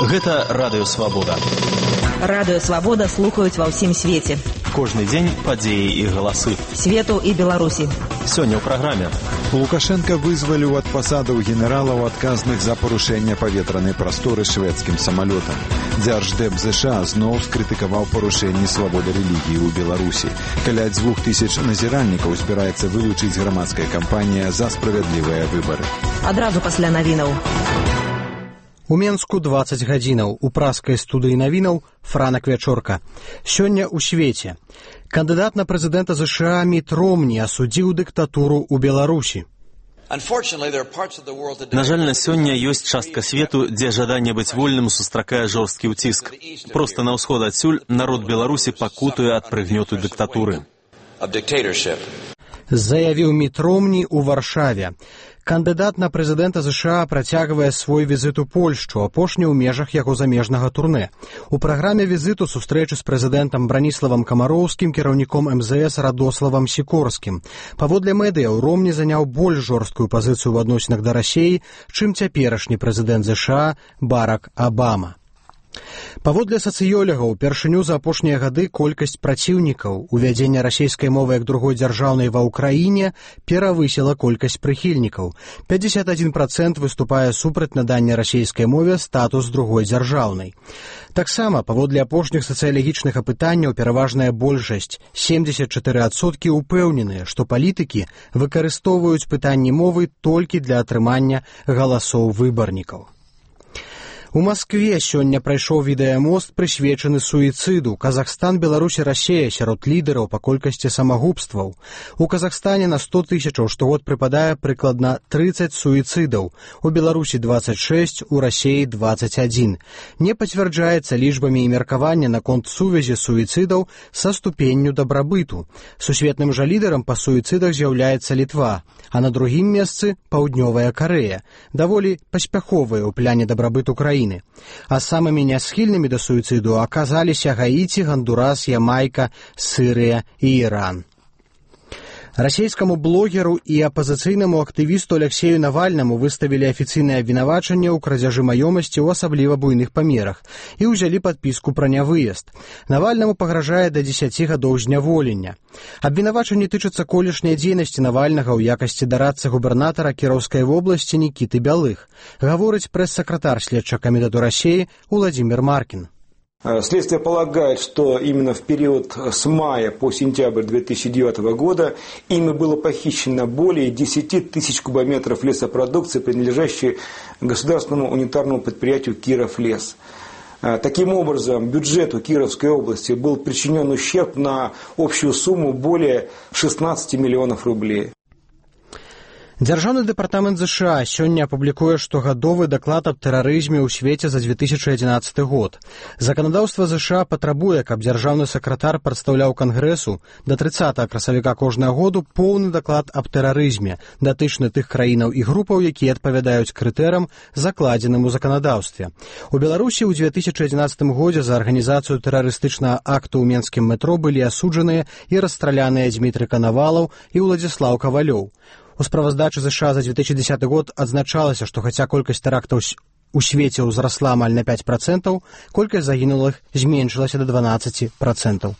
Гэта Радыё Свабода. Радыё Свабода слухаюць ва ўсім свеце. Кожны дзень падзеі і галасы. Свету і Беларусі. Сёння ў праграме. Лукашенка вызваліў ад пасадаў генералаў, адказных за парушэнне паветранай прасторы шведскім самалётам. Дзярждэп ЗША зноў скрытыкаваў парушэнні свабоды рэлігіі ў Беларусі. Каля 2000 назіральнікаў збіраецца вылучыць грамадская кампанія за справядлівыя выбары. Адразу пасля навінаў. У Менску 20 гадзінаў. У праскай студыі навінаў Франак Вячорка. Сёння ў свеце. Кандыдат на прэзідэнта ЗША Міт Ромні асудзіў дыктатуру ў Беларусі. На жаль, на сёння ёсць частка свету, дзе жаданне быць вольным сустракае жорсткі ўціск. Проста на ўсход адсюль народ Беларусі пакутуе ад прыгнёту дыктатуры. Заявіў Міт Ромні ў Варшаве. Кандыдат на прэзідэнта ЗША працягвае свой візіт у Польшчу, апошні ў межах яго замежнага турнэ. У праграме візіту сустрэчы з прэзідэнтам Браніславам Камароўскім, кіраўніком МЗС Радославам Сікорскім. Паводле медыяў, Ромні заняў больш жорсткую пазіцыю ў адносінах да Расіі, чым цяперашні прэзідэнт ЗША Барак Абама. Паводле сацыёлагаў, упершыню за апошнія гады колькасць праціўнікаў увядзення расійскай мовы як другой дзяржаўнай ва ўкраіне перавысіла колькасць прыхільнікаў. 51% выступае супраць надання расійскай мове статус другой дзяржаўнай. Таксама, паводле апошніх сацыялагічных апытанняў, пераважная большасць, 74% упэўненыя, што палітыкі выкарыстоўваюць пытанні мовы толькі для атрымання галасоў выбарнікаў. У Маскве сёння прайшоў відэамост, прысвечаны суіцыду. Казахстан, Беларусь і Расія сярод лідараў па колькасці самагубстваў. У Казахстане на 100 тысячаў штогод прыпадае прыкладна 30 суіцыдаў. У Беларусі 26, у Расіі 21. Не пацвярджаецца лічбамі і меркавання наконт сувязі суіцыдаў са ступенню дабрабыту. Сусветным жа лідарам па суіцыдах з'яўляецца Літва, а на другім месцы Паўднёвая Карэя, даволі паспяховая ў пляне дабрабыту краіны. А самымі нясхільнымі да суіцыду аказаліся Гаіці, Гандурас, Ямайка, Сырыя і Іран. Расійскаму блогеру і апазіцыйнаму актывісту Алексею Навальнаму выставілі афіцыйнае абвінавачанне ў крадзяжы маёмасці ў асабліва буйных памерах і ўзялі падпіску пра нявыезд. Навальнаму пагражае да 10 гадоў зняволення. Абвінавачанне тычыцца колішняй дзейнасці Навальнага ў якасці дарадцы губернатара Кіроўскай вобласці Нікіты Бялых, гаворыць прэс-сакратар следчага камітэту Расіі Уладзімір Маркін. Следствие полагает, что именно в период с мая по сентябрь 2009 года ими было похищено более 10 тысяч кубометров лесопродукции, принадлежащей государственному унитарному предприятию «Кировлес». Таким образом, бюджету Кировской области был причинен ущерб на общую сумму более 16 миллионов рублей. Дзяржаўны дэпартамент ЗША сёння апублікуе штогадовы даклад аб тэрарызме ў свеце за 2011 год. Заканадаўства ЗША патрабуе, каб дзяржаўны сакратар прадстаўляў Кангрэсу да 30 красавіка кожнага году поўны даклад аб тэрарызме, датычны тых краінаў і групаў, якія адпавядаюць крытэрам, закладзеным у заканадаўстве. У Беларусі ў 2011 годзе за арганізацыю тэрарыстычнага акту ў менскім метро былі асуджаныя і расстраляныя Дзмітрый Канавалаў і Уладзіслаў Кавалёў. У справаздачы ЗША за 2010 год адзначалася, што хаця колькасць тэрактаў у свеце ўзрасла амаль на 5%, колькасць загінулых зменшылася да 12%.